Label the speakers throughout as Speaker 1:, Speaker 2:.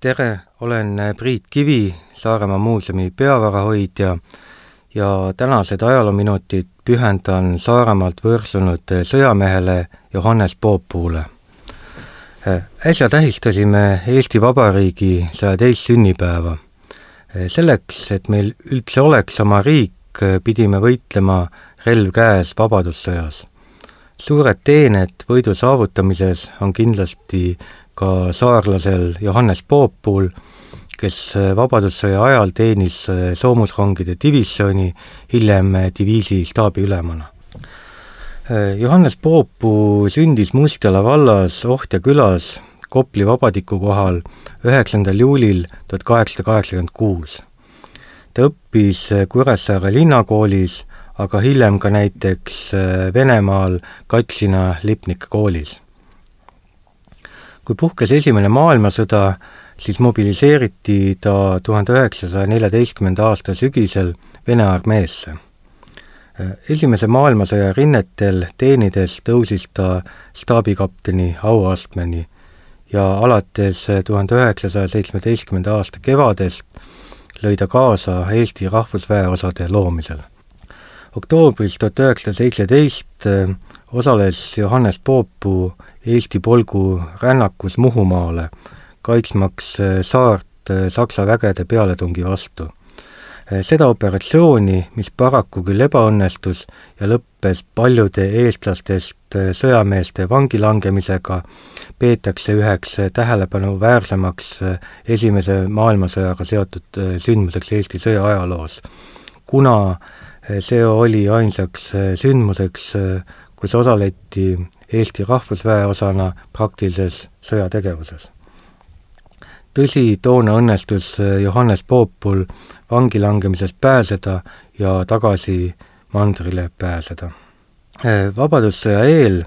Speaker 1: Tere, olen Priit Kivi, Saaremaa muuseumi peavarahoidja ja tänased ajaloominutid pühendan Saaremaalt võrsunud sõjamehele Johannes Poopuule. Äsja tähistasime Eesti Vabariigi 102. sünnipäeva. Selleks, et meil üldse oleks oma riik, pidime võitlema relv käes vabadussõjas. Suured teened võidu saavutamises on kindlasti ka saarlasel Johannes Poopuul, kes vabadussõja ajal teenis soomusrongide divisjoni, hiljem diviisi staabiülemana. Johannes Poopuu sündis Mustjala vallas Ohtja külas Kopli vabadiku kohal 9. juulil 1886. Ta õppis Kuressaare linnakoolis, aga hiljem ka näiteks Venemaal Katsina Lipnike koolis. Kui puhkes esimene maailmasõda, siis mobiliseeriti ta 1914. aasta sügisel Vene armeesse. Esimese maailmasõja rinnetel teenides tõusis ta staabikapteni auastmeni ja alates 1917. aasta kevadest lõi ta kaasa Eesti rahvusväeosade loomisel. Oktoobris 1917 osales Johannes Poopuu Eesti polgu rännakus Muhumaale, kaitsmaks saart Saksa vägede pealetungi vastu. Seda operatsiooni, mis paraku küll ebaõnnestus ja lõppes paljude eestlastest sõjameeste vangilangemisega, peetakse üheks tähelepanuväärsemaks esimese maailmasõjaga seotud sündmuseks Eesti sõja ajaloos, kuna see oli ainsaks sündmuseks, kus osaleti Eesti rahvusväeosana praktilises sõjategevuses. Tõsi, toona õnnestus Johannes Poopul vangilangemisest pääseda ja tagasi mandrile pääseda. Vabadussõja eel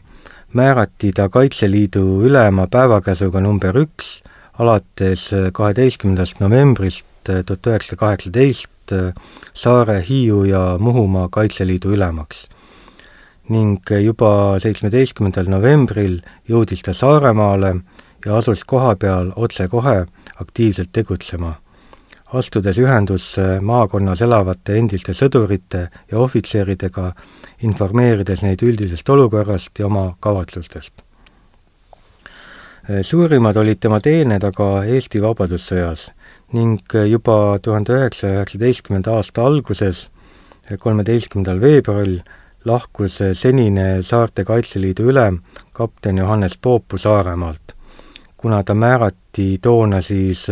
Speaker 1: määrati ta Kaitseliidu ülema päevakäsuga number 1 alates 12. novembrist 1918 Saare, Hiiu ja Muhumaa Kaitseliidu ülemaks. Ning juba 17. novembril jõudis ta Saaremaale ja asus koha peal otsekohe aktiivselt tegutsema, astudes ühendusse maakonnas elavate endiste sõdurite ja ohvitseridega, informeerides neid üldisest olukorrast ja oma kavatsustest. Suurimad olid tema teened aga Eesti vabadussõjas ning juba 1919. aasta alguses, 13. veebruaril, lahkus senine Saarte Kaitseliidu ülem kapten Johannes Poopuu Saaremaalt, kuna ta määrati toona siis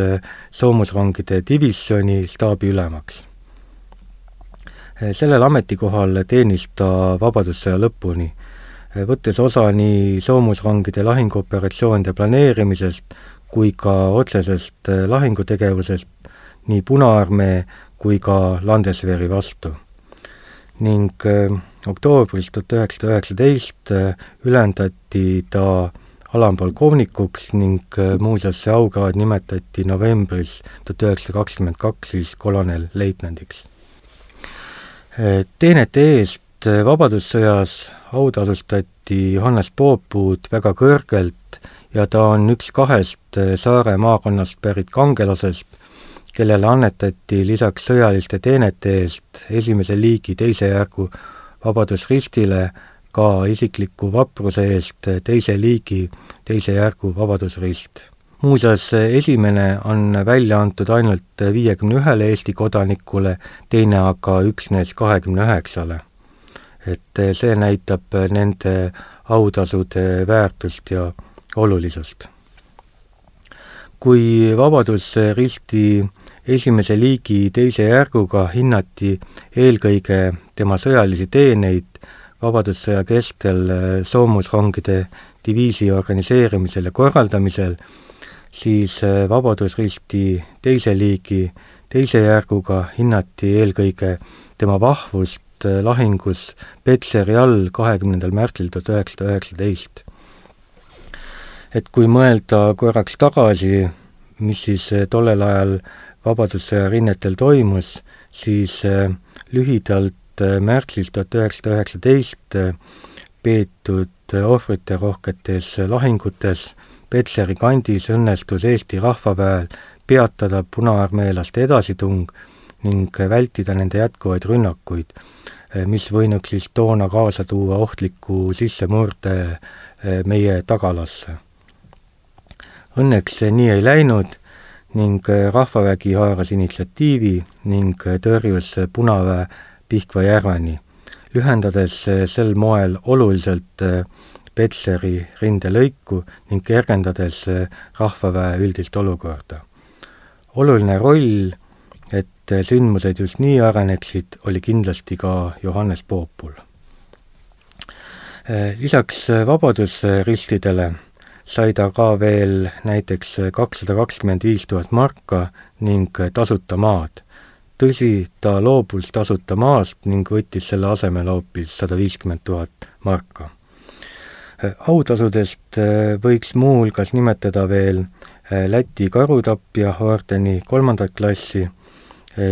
Speaker 1: soomusrongide divisjoni staabiülemaks. Sellel ametikohal teenis ta vabadussõja lõpuni, võttes osa nii soomusrongide lahinguoperatsioonide planeerimisest kui ka otsesest lahingutegevusest nii Punaarmee kui ka Landesveri vastu. Ning oktoobris 1919 ülendati ta alampolkovnikuks ning muuseas see aukraad nimetati novembris 1922 siis kolonelleitnandiks. Teenete eest vabadussõjas autasustati Johannes Poopuud väga kõrgelt ja ta on üks 2 Saare maakonnast pärit kangelasest, kellele annetati lisaks sõjaliste teenete eest esimese liigi 2. järgu Vabadusristile ka isikliku vapruse eest 2. liigi 2. järgu Vabadusrist. Muuseas, esimene on välja antud ainult 51 Eesti kodanikule, teine aga üksnes 29. Et see näitab nende autasude väärtust ja olulisust. Kui Vabadusristi esimese liigi 2. järguga hinnati eelkõige tema sõjalisi teeneid vabadussõja kestel soomusrongide diviisi organiseerimisel ja korraldamisel, siis Vabadusristi 2. liigi 2. järguga hinnati eelkõige tema vahvust lahingus Petseri all 20. märtsil 1919. Et kui mõelda korraks tagasi, mis siis tollel ajal vabadussõja rinnetel toimus, siis lühidalt märtsis 1919 peetud ohvriterohketes lahingutes Petseri kandis õnnestus Eesti rahvaväel peatada punaarmeelaste edasitung ning vältida nende jätkuvaid rünnakuid, mis võinuks siis toona kaasa tuua ohtliku sissemurde meie tagalasse. Õnneks see nii ei läinud ning rahvavägi haaras initsiatiivi ning tõrjus Punaväe Pihkva järveni, lühendades sel moel oluliselt Petseri rindelõiku ning kergendades rahvaväe üldist olukorda. Oluline roll, et sündmused just nii areneksid, oli kindlasti ka Johannes Poopul. Lisaks vabadusristidele sai ta ka veel näiteks 225 000 marka ning tasuta maad. Tõsi, ta loobus tasuta maast ning võttis selle asemel hoopis 150 000 marka. Autasudest võiks muuhulgas nimetada veel Läti karutapja ordeni 3. klassi,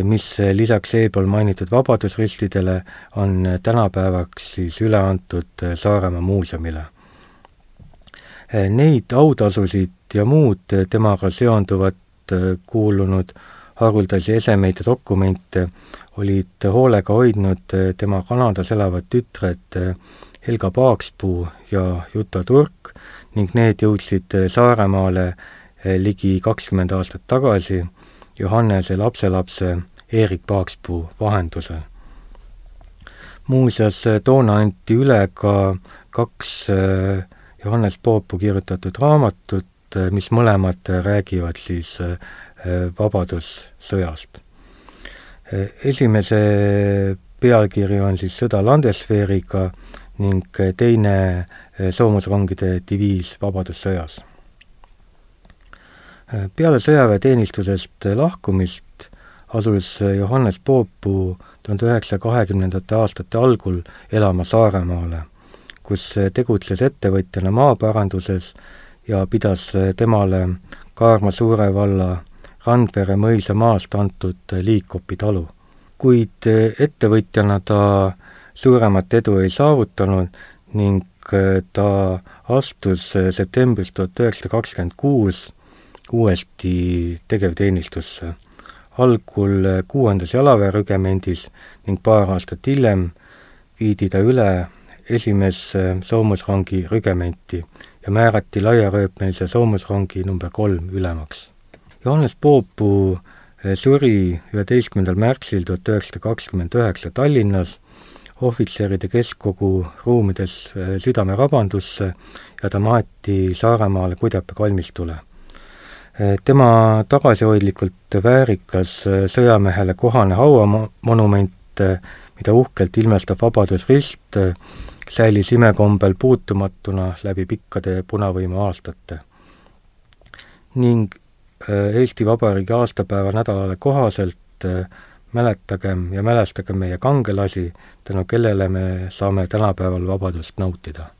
Speaker 1: mis lisaks eespool mainitud vabadusristidele on tänapäevaks siis üle antud Saaremaa muuseumile. Neid autasusid ja muud temaga seonduvat kuulunud haruldasi esemeid ja dokumente olid hoolega hoidnud tema Kanadas elavad tütred Helga Paakspuu ja Juta Turk ning need jõudsid Saaremaale ligi 20 aastat tagasi Johannese lapselapse Erik Paakspuu vahendusel. Muuseas, toona anti üle ka 2 Johannes Poopu kirjutatud raamatut, mis mõlemad räägivad siis vabadussõjast. Esimese pealkiri on siis Sõda Landesveeriga ning teine soomusrongide diviis vabadussõjas. Peale sõjaväeteenistusest lahkumist asus Johannes Poopu 1920. aastate algul elama Saaremaale, kus tegutses ettevõtjana maaparanduses ja pidas temale Kaarma suure valla Randvere mõisa maast antud Liikopi talu. Kuid ettevõtjana ta suuremat edu ei saavutanud ning ta astus septembris 1926 uuesti tegevteenistusse, algul 6. jalaväerügemendis ning paar aastat hiljem viidi ta üle 1. soomusrongi rügementi ja määrati laiarööpmelise soomusrongi number 3 ülemaks. Johannes Poopu suri 11. märtsil 1929 Tallinnas ohvitseride keskkogu ruumides südamerabandusse ja ta maeti Saaremaale Kudjape kalmistule. Tema tagasihoidlikult väärikas sõjamehele kohane hauamonument, mida uhkelt ilmestab Vabadusrist, säilis imekombel puutumatuna läbi pikkade punavõimu aastate. Ning Eesti Vabariigi aastapäeva nädalale kohaselt mäletagem ja mälestagem meie kangelasi, tänu kellele me saame tänapäeval vabadust nautida.